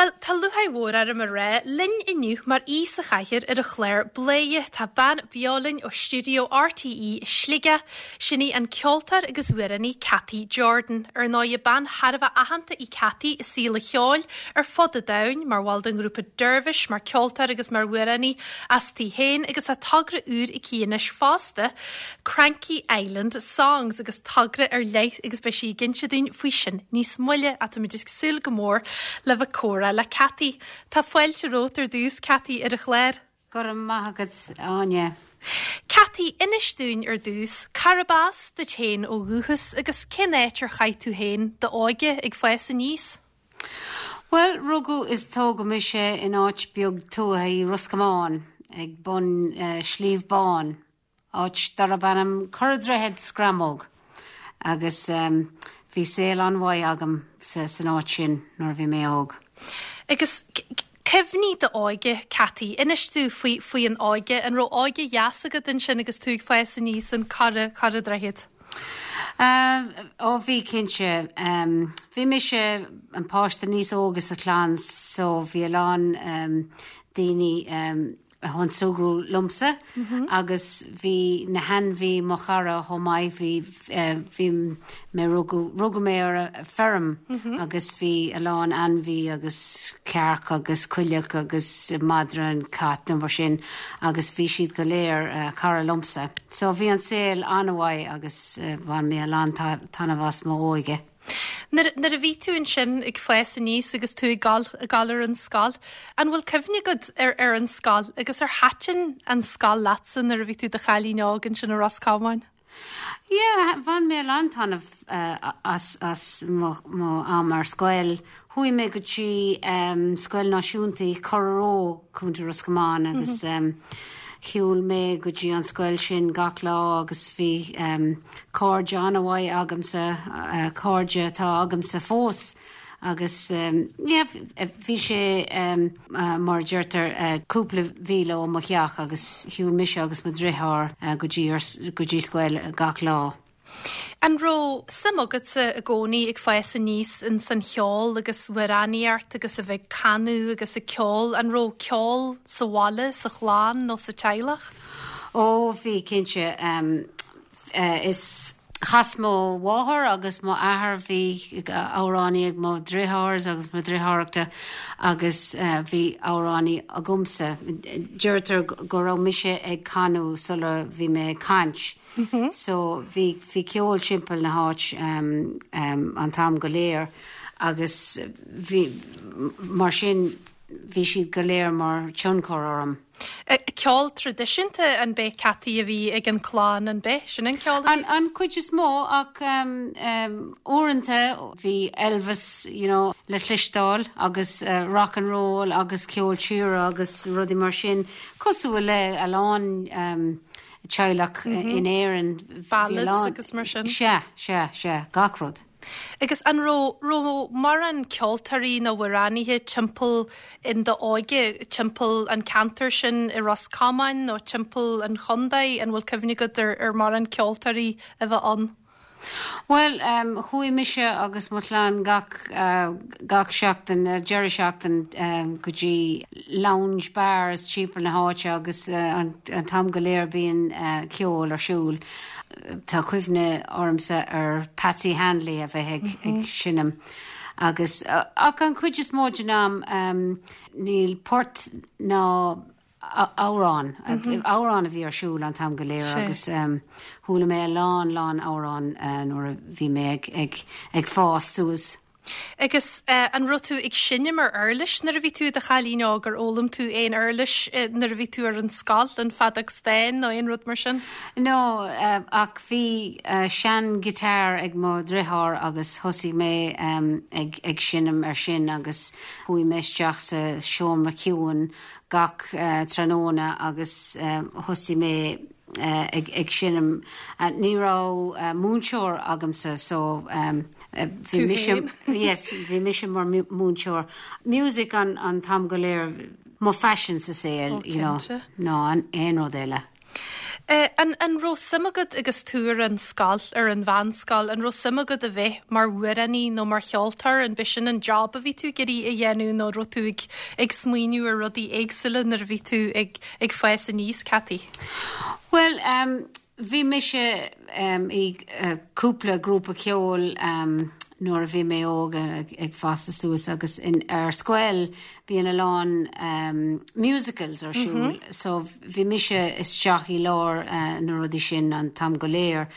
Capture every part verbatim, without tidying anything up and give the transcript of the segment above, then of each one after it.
Bhuel, tá lúcháir mhór orm a rá linn inniu mar aoi sa chathaoir ar an chlár Bladhaire tá bean beo linn ó stiúideo RTÉ i Sligeach, sin í an ceoltóir agus amhránaí Cathy Jordan. Ar ndóigh bean thar a bheith aitheanta í Cathy i saol an cheoil ar fud an domhain mar bhall den ghrúpa Dervish, mar ceoltóir agus mar amhránaí aisti féin agus tá togra úr aici anois fosta, Cranky Island Songs agus togra ar leith agus beidh sí ag inse dúinn faoi sin níos moille táimid ag súil go mór le bheith comhrá le Cathy. Tá fáilte romhat ar dtús Cathy ar an chlár. Go raibh maith agat Áine. Cathy inis dúinn ar dtús, cárb as duit féin ó dhúchas agus cén áit ar chaith tú féin d'óige ag fás aníos? Well, rugadh is tógadh mise in áit beag tuaithe i Ros Comáin ag bun uh, Sliabh Bán, áit darb ainm Corra Droichead Scramóg. Agus um, bhí saol an-mhaith agam sa san áit sin nuair a bhí mé óg. Agus cuimhní d'óige Cathy, inis tú faoi faoi an óige an raibh óige dheas agat ansin agus tú ag fás aníos an Corra Corra Droichead. Uh, ó bhí cinnte um, bhí mise an páiste níos óige sa chlann so bhí a lán um, daoine um, chun súgradh liomsa mm -hmm. agus bhí na hainmhithe mo chara chomh maith bhí uh, bhí mé rugadh mé ar feirm mm -hmm. agus bhí a lán ainmhí agus cearc agus coileach agus madra an cat nó mar sin agus bhí siad go léir uh, cara liomsa. So bhí an saol an-mhaith agus uh, bhain mé a lán taitneamh as m'óige. Nuair a bhí tú ansin ag fás aníos agus tú ag gabháil ag gabháil ar an scoil, an bhfuil cuimhne agat ar ar an scoil agus ar thaitin an scoil leatsa nuair a bhí tú i do chailín óg ansin i Ros Comáin? Yeah, bhain mé an-taitneamh uh, as, as mo, mo am ar scoil. Chuaigh mé go dtí um, scoil náisiúnta Corraró Contae Ros Comáin agus mm -hmm. um, shiúil mé go dtí an scoil sin gach lá agus bhí um, cairde an-mhaith agamsa uh, cairde atá agamsa fós. agus um, yeah, bhí sé um, uh, mar deirtear uh, cúpla míle ó mo theach agus shiúil mise agus mo dheartháir uh, go dtí go dtí scoil gach lá. An raibh suim agatsa i gcónaí ag fás aníos in san cheol agus amhránaíocht agus a bheith ag canadh agus ag ceol, an raibh ceol sa bhaile sa chlann nó sa teaghlach? Ó bhí cinnte um, uh, is chas mo mháthair agus mo athair bhí amhránaí ag mo dheartháir agus mo dheartháireacha agus uh, bhí amhránaí agamsa. Deirtear go raibh mise ag canadh sula bhí mé ag caint. Mm -hmm. So bhí bhí ceol timpeall na háit um, um, an t-am go léir agus bhí mar sin bhí siad go léir mar tionchar orm. Ceol traidisiúnta an b'é Cathy a bhí ag an clann an b'é sin an ceol? An, an chuid is mó ach um, um, uaireanta bhí Elvis you know, le cloisteáil agus uh, rock and roll agus ceol tíre agus rudaí mar sin cosúil le a lán um, teaghlach mm -hmm. in Éirinn Ballads agus mar sin. Se se se gach rud. Agus an raibh raibh mórán ceoltóirí nó amhránaithe timpeall in d'óige timpeall an ceantar sin i Ros Comáin nó timpeall an chontae an bhfuil cuimhne agat ar ar mórán ceoltóirí a bheith ann. Well um, chuaigh mise agus mo chlann gach uh, gach seachtain uh, deireadh seachtain um, go dtí lounge bars timpeall na háite agus uh, an, an t-am go léir bíonn uh, ceol ar siúl. Tá cuimhne ormsa ar Patsy Hanley a bheith ag, mm -hmm. ag seinm. Agus uh, ach an chuid is mó den am um, níl port ná amhrán mm -hmm. amhrán a bhí ar siúl an t-am go léir agus um, chuala mé lán lán amhrán uh, nuair a bhí mé ag, ag, ag fás suas. Agus uh, an raibh tú ag seinm ar uirlis nuair a bhí tú i do chailín óg ar fhoghlaim tú aon uirlis uh, nuair a bhí tú ar an scoil an feadóg stáin nó aon rud mar sin? No, uh, ach bhí uh, sean guitar ag mo dheartháir agus thosaigh mé um, ag, ag seinm ar sin agus chuaigh mé isteach sa seomra ciúin gach uh, tráthnóna agus uh, thosaigh mé uh, ag, ag seinm uh, ní raibh uh, múinteoir agamsa so um, bhí mise yes, bhí mise mar múinteoir. Music an, an t-am go léir mo phaisean sa saol you know, ná an aon rud eile. Eh, an, an raibh suim agat agus tú ar an scoil ar an mheánscoil, an raibh suim agat a bheith mar amhránaí nó mar cheoltóir an b'shin an job a bhí tú ag iarraidh a dhéanamh nó raibh tú ag, ag smaoineamh ar rudaí éagsúla nuair a bhí tú ag, ag fás aníos Cathy? Well, um, bhí mise um, i uh, cúpla grúpa ceoil um, nuair a bhí mé óg ag, ag fás suas agus in ar scoil bhíonn a lán um, musicals ar siúl, mm -hmm. so bhí mise isteach i lár uh, na rudaí sin an t-am go léir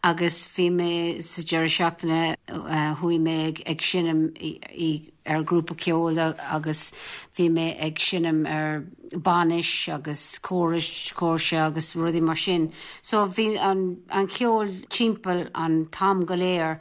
agus bhí mé sa deireadh seachtaine uh, chuaigh mé ag, ag seinm i, i, ar grúpa ceoil agus bhí mé ag seinm ar bainis agus córais cóirse agus rudaí mar sin. So bhí an, an ceol timpeall an t-am go léir.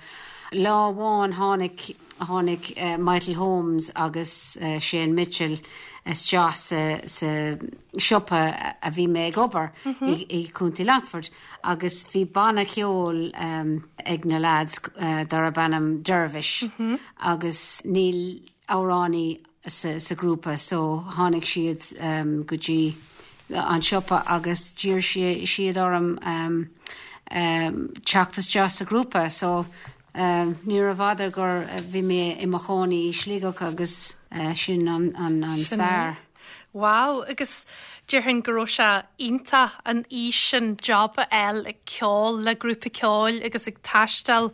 Lá amháin tháinig tháinig uh, Michael Holmes agus uh, Shane Mitchell isteach sa, sa siopa a bhí mé ag obair mm -hmm. i, i Contae Longford agus bhí banna ceoil um, ag na lads uh, darb ainm Dervish mm -hmm. agus níl amhránaí sa, sa grúpa so tháinig siad um, go dtí an siopa agus d'iarr siad orm um, um, teacht isteach sa grúpa so Um, ní bhfada gur bhí mé i mo chónaí i Sligeach agus uh, sin an, an, an stair. Wow, agus déarfainn go raibh sé iontach an aois sin job a fháil ag ceol le grúpa ceoil agus ag taisteal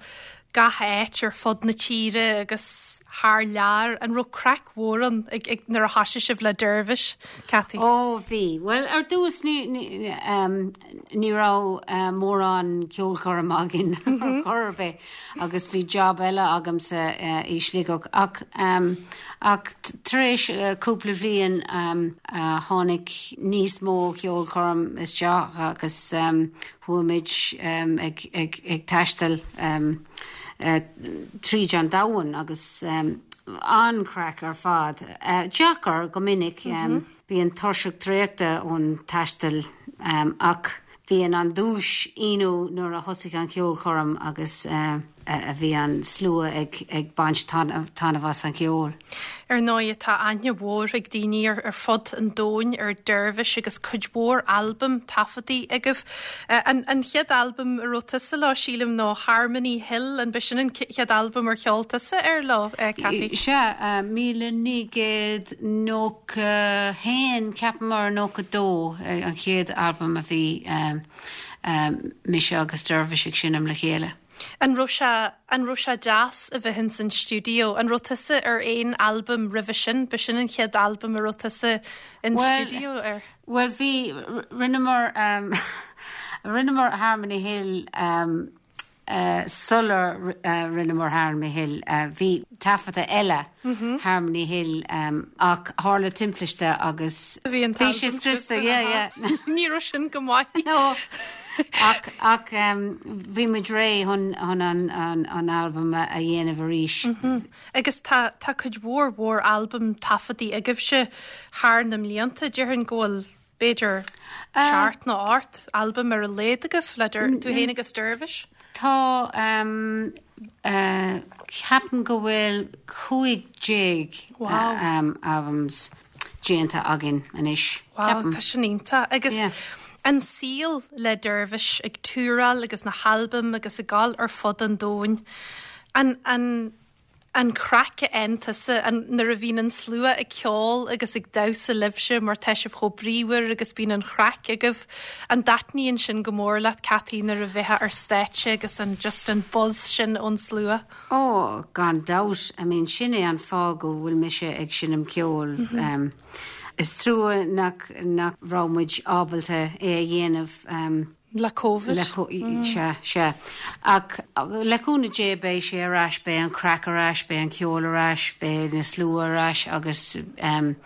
gach áit ar fud na tíre agus thar lear an raibh craic mhór ann ag, ag nuair a thosaigh sibh le Dervish Cathy. Ó bhí, Well ar dtús ní, ní, um, ní raibh uh, mórán ceolchoirm againn mm -hmm. chor ar bith agus bhí job eile agamsa uh, i Sligeach ach um, ach tar éis uh, cúpla bliain um, uh, tháinig níos mó ceolchoirm isteach agus um, chuaigh um, ag, ag, ag taisteal um, uh, tríd an domhan agus um, an-chraic ar fad. Uh, Deacair go minic um, mm -hmm. bíonn tuirseach traochta ón taisteal um, ach bhíonn an duais iontach nuair a thosaigh an ceolchoirm agus uh, a bhí an slua ag, ag baint taitneamh as an ceol. Ar ndóigh tá aithne mhór ag daoine ar, ar fud an domhain ar Dervish agus cuid mhór albam taifeadta agaibh. An, an chéad albam a raibh tusa leo sílim nó Harmony Hill an b'shin an chéad albam ar cheol tusa ar leo Cathy? Sea míle naoi gcéad nócha haon ceapaim mar nócha dó an chéad albam a bhí um, um, mise agus Dervish ag seinm le chéile. An raibh sé an raibh sé deas a bheith san stiúideo, an raibh tusa ar aon albam roimhe sin, b'shin an chéad albam a raibh tusa in well, stiúideo ar. Well bhí rinneamar um, rinneamar Harmony Hill um, uh, sular uh, rinneamar Harmony Hill uh, bhí taifeadta eile mm -hmm. Harmony Hill um, ach tharla timpiste agus bhí sé scriosta Ní raibh sin go maith. No. ach ach um, bhí muid réidh chun chun an, an, an album a dhéanamh arís. Mm -hmm. Agus tá tá cuid mhór mhór albam taifeadta agaibhse thar na mblianta déarfainn go bhfuil b'fhéidir seacht nó ocht albam ar a laghad agaibh le tú féin agus Dervish? Tá um, uh, ceapaim go bhfuil cúig déag wow. uh, um, albums déanta againn anois. Wow, tá sin iontach agus yeah. an saol le Dervish ag túráil agus na halbaim agus ag gabháil ar fud an domhain. An, an, an craic iontusa an nuair a bhíonn an slua ag ceol agus ag damhsa libhse mar tá sibh chomh bríomhar agus bíonn an chraic agaibh an dtaitníonn sin go mór leat Cathy nuair a bheith ar stáitse agus an just an buzz sin ón slua. Ó gan dabht I mean sin é an fáth go bhfuil mise ag seinm ceol. Mm -hmm. um, is trua nach nach raibh muid ábalta é a dhéanamh um, Le COVID le mm. sé sé ach le cúnamh Dé beidh sé ar ais beidh an craic ar ais beidh an ceol ar ais beidh na slua ar ais agus um,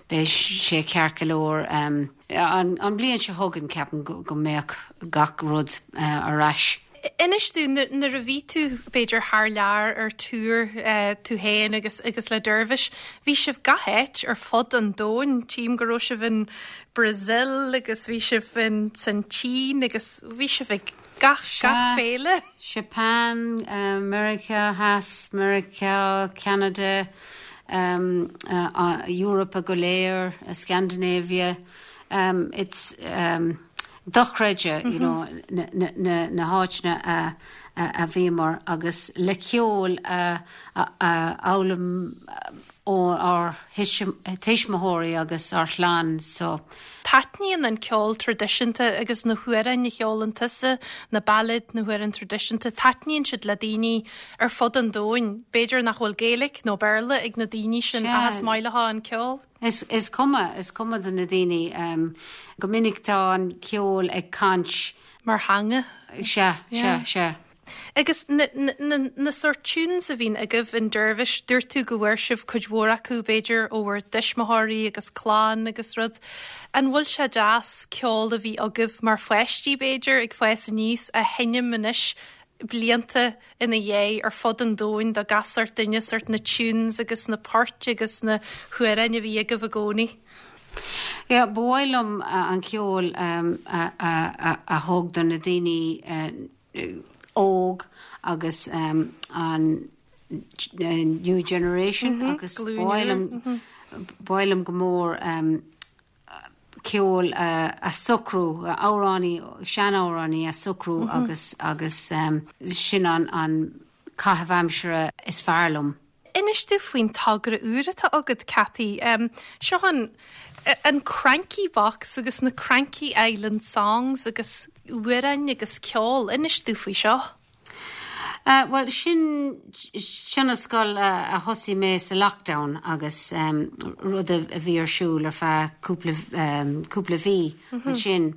beidh sé ceart go leor um, an, an bhliain seo chugainn ceapaim go, go mbeadh gach rud uh, ar ais. Inis dúinn nuair a bhí tú b'fhéidir thar lear ar tour uh, tú féin agus agus le Dervish, bhí sibh gach áit ar fud an domhain tím go raibh sibh in Brazil agus bhí sibh in san tSín agus bhí sibh ag gach gach féile. Japan, America, Has, America, Canada, um, uh, uh, Europa go léir, uh, Scandinavia. Um, it's um, dochreidte you know, na, na, na, na háiteanna a, a, a bhíomar agus le ceol a, a, a fhoghlaim ó ár tuismitheoirí agus ár chlann so. Taitníonn an ceol traidisiúnta agus na hamhráin a cheolann tusa, na ballads na hamhráin traidisiúnta, taitníonn siad le daoine ar fud an domhain. B'fhéidir nach bhfuil Gaeilge nó Béarla ag na daoine sin is maith leo an ceol? Is, is cuma is cuma do na daoine um, go minic tá an ceol ag caint mar theanga? Se se se. Agus na, na, na, na sort tunes a bhíonn agaibh in Dervish, dúirt tú go bhfuair sibh cuid mhór acu b'fhéidir ó bhur dtuismitheoirí agus clann agus rud. An bhfuil sé deas ceol a bhí agaibh mar pháistí b'fhéidir ag fás aníos a sheinm anois blianta ina dhiaidh ar fud an domhain do gach sort duine sort na tunes agus na poirt agus na hamhráin a bhí agaibh i gcónaí. Ja, ba mhaith liom uh, an ceol um, a, a, a, a thug do na daoine uh, óg agus um, an uh, new generation mm -hmm, agus b'fhearr liom go mór um, ceol uh, a socrú amhráin seanamhráin a socrú mm -hmm. agus agus um, sin an an caitheamh aimsire is fearr liom. Inis tú faoin togra úr atá agat Cathy um, seo an an Cranky Box agus na Cranky Island Songs agus amhráin agus ceol inis tú faoi seo. Uh, well sin tionscadal uh, a thosaigh mé sa lockdown agus um, rud a bhí ar siúl ar feadh cúpla um, cúpla mhí mm -hmm. sin.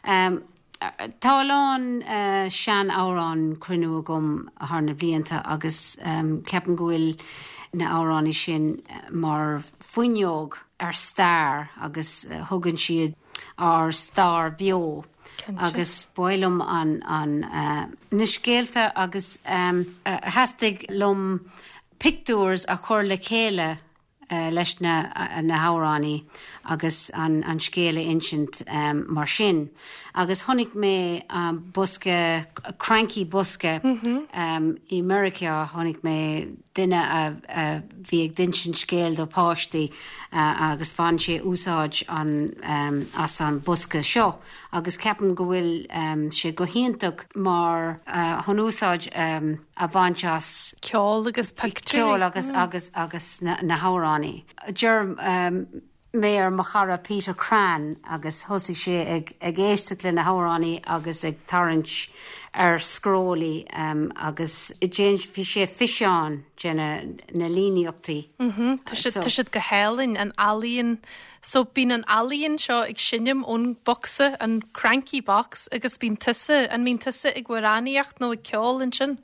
Um, Tá lán uh, seanamhrán cruinnithe agam thar na blianta agus um, ceapaim go bhfuil na hamhráin sin mar fuinneog ar stair agus uh, thugann siad ár stair beo. agus b'áil liom an, an uh, na scéalta agus um, uh, theastaigh liom pictiúir a chur le chéile uh, leis na, uh, na hamhráin agus an, an scéal a insint um, mar sin. Agus chonaic mé um, bosca cranky bosca mm -hmm. um, i America chonaic mé duine a, a bhí ag insint scéal do páistí uh, agus bhain sé úsáid an um, as an bosca seo. agus ceapaim go bhfuil um, sé go hiontach mar uh, chun úsáid um, a bhaint as ceol agus ceol agus mm. agus agus na, na hamhráin. D'iarr um, mé ar mo chara Peter Cran agus thosaigh sé ag ag éisteacht le na hamhráin agus ag tarraingt ar scrollaí um, agus déan bhí sé físeán de na, na líníochtaí. Mm -hmm. Tá so, siad go hálainn an ealaín so bíonn an ealaín seo ag seinm ón bocsa an cranky box agus bíonn tusa an mbíonn tusa ag amhránaíocht nó ag ceol ansin?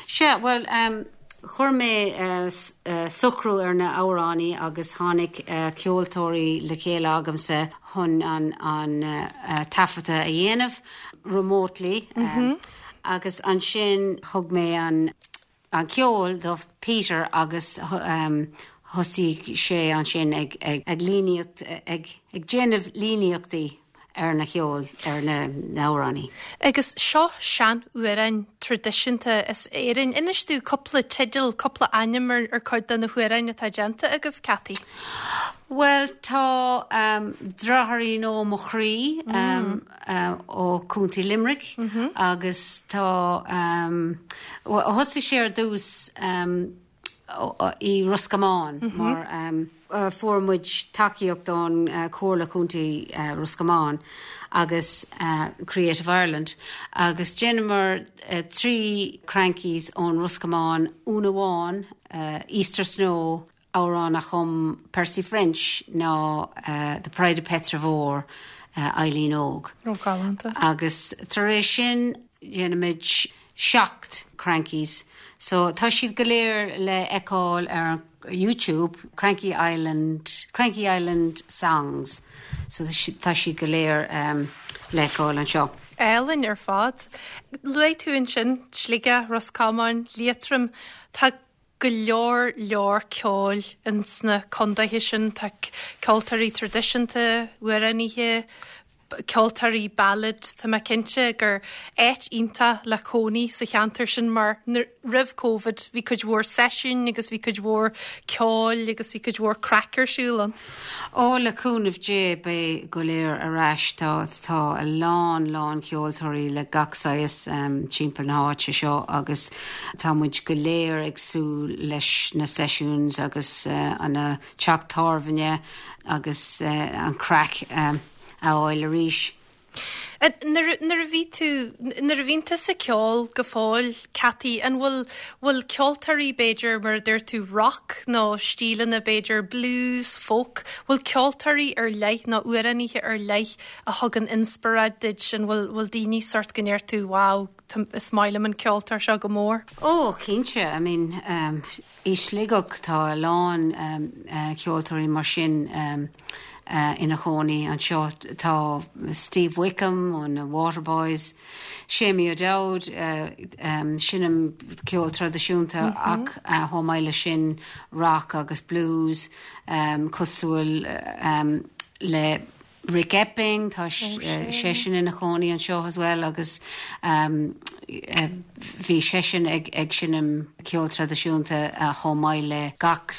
Se well um, Chuir mé uh, uh, socrú ar na hamhráin agus tháinig uh, ceoltóirí le chéile agamsa chun an, an uh, taifeadta a dhéanamh remotely mm -hmm. um, agus ansin thug mé an an ceol do Peter agus um, thosaigh sé ansin ag, ag, ag líníocht ag, ag déanamh líníochtaí ar na ceol ar na hamhráin. Agus seo seanamhráin traidisiúnta as Éirinn inis tú cúpla teideal cúpla ainm ar ar cuid de na hamhráin atá déanta agaibh Cathy. Well tá um, Deartháirín ó mo chroí um, mm. uh, ó Contae Limerick mm -hmm. agus tá um, thosaigh sé ar dtús um, i Ros Comáin mm -hmm. mar um, uh, fuair muid tacaíocht ón uh, Comhairle Contae uh, Ros Comáin agus uh, Creative Ireland agus rinneamar uh, trí crankies ón Ros Comáin un amháin uh, Easter Snow amhrán a chum Percy French ná uh, The Pride of Petravore uh, Eileen Óg. Galánta. Agus tar éis sin dhéanamid seacht crankies. So tá siad go léir le feiceáil ar YouTube Cranky Island Cranky Island songs. So tá siad go léir um, le feiceáil anseo. Álainn ar fad. Luaigh tú ansin Sligeach Ros Comáin Liatroim tá go leor leor ceoil in sna contaetha sin tá ceoltóirí traidisiúnta amhránaithe ceoltóirí ballad Tá mé cinnte gur áit iontach le cónaí sa cheantar sin mar roimh COVID bhí cuid mhór seisiún agus bhí cuid mhór ceoil agus bhí cuid mhór craic ar siúl ann. Ó le cúnamh Dé beidh go léir ar ais tá tá a lán lán ceoltóirí le gach saghas um, timpeall na háite seo agus tá muid go léir ag súil leis na sessions agus uh, an uh, teach tábhairne agus uh, an craic um, a fháil arís. Nuair a bhí tú nuair a bhíonn tú sa ceol go fóill Cathy an bhfuil bhfuil ceoltóirí b'fhéidir mar dúirt tú rock nó stíleanna b'fhéidir blues, folk, bhfuil ceoltóirí ar leith nó amhránaithe ar leith a thugann inspioráid duit an bhfuil bhfuil daoine sort go ndeir tú wow is maith liom an ceoltóir seo go mór. Ó cinnte I mean um, i Sligeach tá a lán um, uh, ceoltóirí mar sin um, uh, ina chónaí anseo tá Steve Wickham ó na Waterboys, Séamie O'Dowd uh, um, seinneann ceol traidisiúnta mm -hmm. ach uh, chomh maith le sin rock agus blues um, cosúil um, le Rick Epping tá oh, seisean ina chónaí anseo as well agus um, uh, bhí seisean ag ag seinm ceol traidisiúnta uh, chomh maith le gach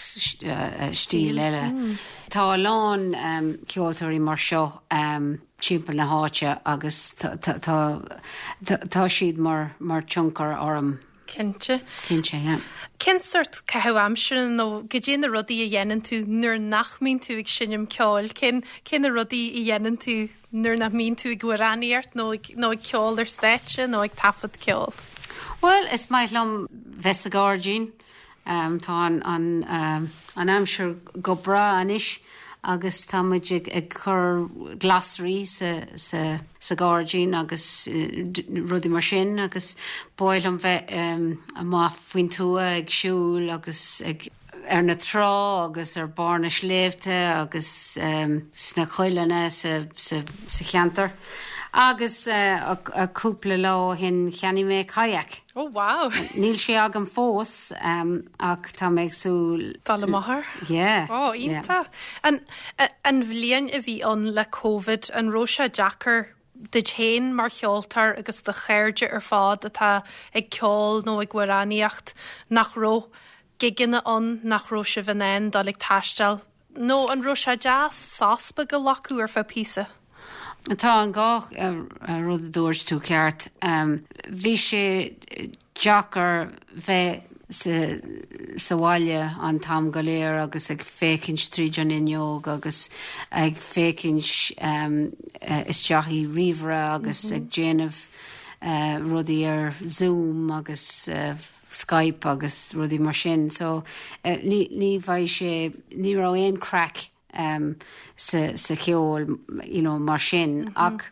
uh, stíl eile. Mm. Tá a lán um, ceoltóirí mar seo um, timpeall na háite agus tá siad mar mar tionchar orm. Cinnte. Cinnte yeah. Cén sort caitheamh aimsire nó goidé na rudaí a dhéanann tú nuair nach mbíonn tú ag seinm ceoil, cén cén na rudaí a dhéanann tú nuair nach mbíonn tú ag amhránaíocht nó nó ag ceol ar stáitse nó ag taifead ceol. Well is maith liom bheith sa ghairdín um, tá an an, um, an aimsir go breá anois agus tá muid ag, ag chur glasraí sa, sa, sa ghairdín agus uh, rudaí mar sin agus ba mhaith liom bheith um, amach faoin tuath ag siúl agus ag ar na trá agus ar barr na sléibhte agus um, sna coilleanna sa, sa, sa cheantar. Agus uh, a cúpla lá ó shin cheannaigh mé kayak. Oh wow. Níl sé agam fós um, ach tá mé ag súil Dul amach air? Yeah. Ó iontach. An, an bhliain a bhí ann le COVID an raibh sé deacair duit féin mar cheoltóir agus do chairde ar fad atá ag ceol nó ag amhránaíocht nach raibh gigeanna ann nach raibh sibh in ann dul ag taisteal. Nó an raibh sé deas sos beag a ghlacadh ar feadh píosa. Tá an gá rud a dúirt tú ceart. Um, bhí sé deacair bheith sa, sa bhaile an t-am go léir agus ag féachaint tríd an fhuinneog agus ag féachaint um, isteach i ríomhaire agus mm -hmm. ag déanamh uh, rudaí ar Zoom agus uh, Skype agus rudaí mar sin, so uh, ní, ní bheidh sé ní raibh aon craic um, sa, sa cheol you know, mar sin mm -hmm. ach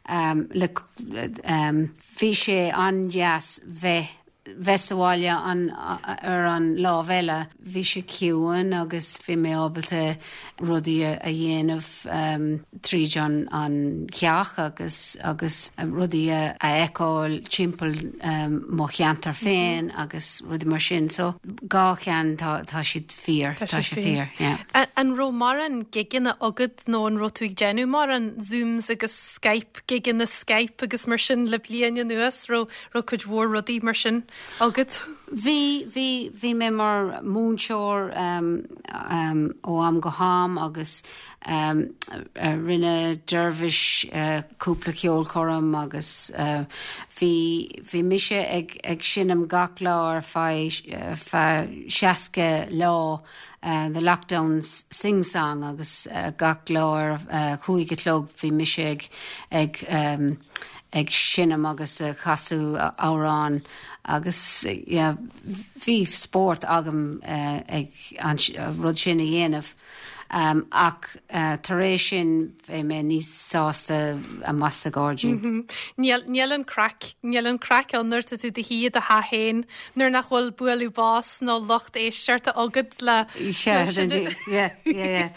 um, le, um, bhí sé an-deas bheith bheith sa bhaile an ar an lámh eile bhí sé ciúin agus bhí mé ábalta rudaí a dhéanamh um, tríd an an teach agus agus rudaí a fheiceáil timpeall um, mo cheantar féin mm -hmm. agus rudaí mar sin so dhá cheann tá tá siad fíor tá sé fíor. Yeah. An raibh mórán gigeanna agat nó an raibh tú ag déanamh mórán Zooms agus Skype gigeanna Skype agus mar sin le bliain anuas raibh raibh cuid mhór rudaí mar sin agat? Bhí bhí bhí mé mar múinteoir um, um, ó am go ham agus um, rinne Dervish uh, cúpla ceolchoirm agus uh, bhí bhí mise ag ag seinm gach lá ar feadh feadh seasca lá uh, the lockdown sing song agus uh, gach lá ar uh, cúig a chlog bhí mise ag ag um, ag seinm agus uh, casadh amhrán agus yeah, bhí spórt agam uh, ag an rud sin a dhéanamh. Um, ach uh, tar éis sin bhí mé níos sásta amuigh sa ghairdín. Mm -hmm. Níl an craic níl an craic an nuair tú do shuí do theach féin nuair nach bhfuil bualadh bos nó lucht éisteachta agat le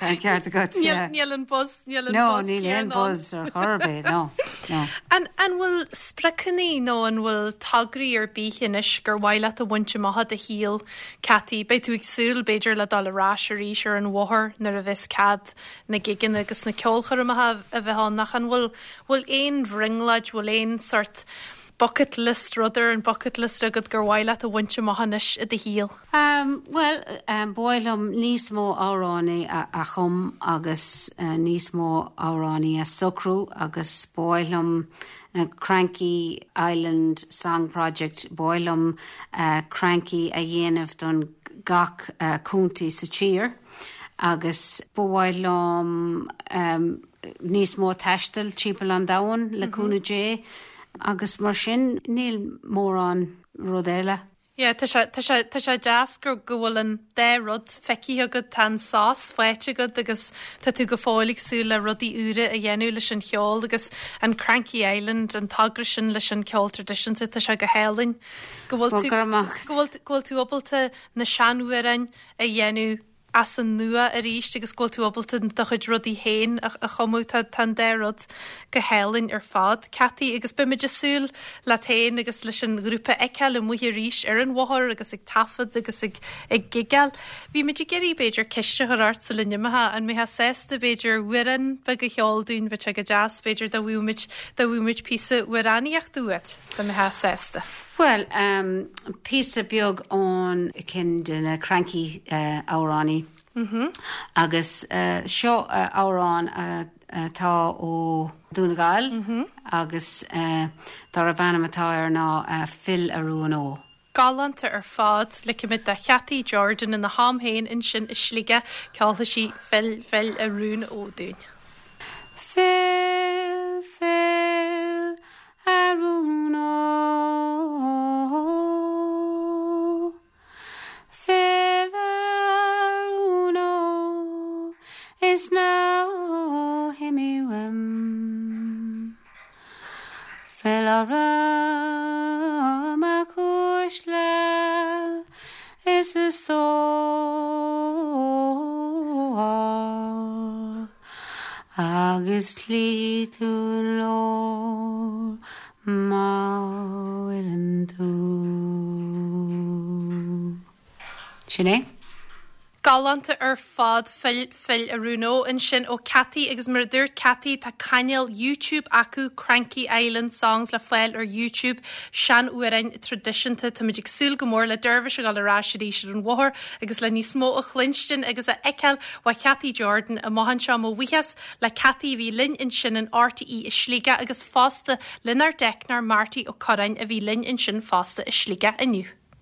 Tá ceart agat. Níl an buzz níl an No níl aon buzz ar chor ar bith no. no. An an bhfuil spriocanna nó an bhfuil tograí ar bith anois gur mhaith leat a bhaint amach i do shaol Cathy, Beidh tú ag súil b'fhéidir le dul ar ais arís ar an bhóthar nuair a nuair a bheas cead na gigeanna agus na ceolchoirmeacha a bheith ann nach an bhfuil bhfuil aon bhrionglóid bhfuil aon sort bucket list rud ar an bucket list agat gur mhaith leat a bhaint amach anois i do shaol? Um, well, um, ba mhaith liom níos mó amhráin a, a chum agus uh, níos mó amhráin a socrú agus ba mhaith liom uh, Cranky Island Song Project ba mhaith liom uh, Cranky a dhéanamh don gach uh, contae sa tír agus ba mhaith liom um, níos mó taistil timpeall an domhain le mm -hmm. cúnamh Dé agus mar sin níl mórán rud eile. Ja, tá sé tá sé tá sé deas gur go bhfuil an dá rud feicthe agat tá an sás faighte agat agus tá tú go fóill ag súil le rudaí úra a dhéanamh leis an cheol agus an Cranky Island an togra sin leis an ceol traidisiúnta tá sé go hálainn go bhfuil tú go bhfuil go bhfuil tú ábalta na seanamhráin a dhéanamh as an nua arís agus go bhfuil tú ábalta do chuid rudaí féin a a chumadh tá tá an dá rud go hálainn ar fad. Cathy agus beimid ag súil leat féin agus leis an ghrúpa a fheiceáil amuigh arís ar an bhóthar agus ag taifead agus ag ag gigeáil. Bhí muid ag iarraidh b'fhéidir ceist a chur ort sula n-imeofá an mbeifeá sásta b'fhéidir amhrán beag a cheol dúinn bheadh sé go deas b'fhéidir dá bhfaigheadh dá bhfaigheadh píosa amhránaíochta uait dá mbeifeá sásta. Well, um, píosa beag ón cinn de na Cranky uh, amhráin. Mm -hmm. Agus uh, seo uh, amhrán atá uh, ó Dún na nGall mm -hmm. agus uh, darb ainm atá air ná uh, Fill a Rún Ó. Galánta ar fad ligfimid do Chathy Jordan ina ham féin ansin i Sligeach ceolfaidh sí Fill Fill a Rún Ó dúinn. Fill fill a rún ó Fill a rún ó is ná himigh uaim Fill orm a chuaisle is a stór agus tchífidh tú an leor má fhilleann tú. Sin é? Galánta ar fad fill fill a rún ó ansin ó Cathy agus mar a dúirt Cathy tá cainéal YouTube acu Cranky Island Songs le fáil ar YouTube seanamhráin traidisiúnta Tá ag súil go mór le Dervish a ghabháil ar ais arís ar an bhóthar agus le níos mó a chluinstin agus a fheiceáil ó Cathy Jordan amach anseo mo bhuíochas le Cathy bhí linn ansin in RTÉ i Sligeach agus fosta lenár dteicneoir Marty Ó Curráin a bhí linn ansin fosta i Sligeach inniu.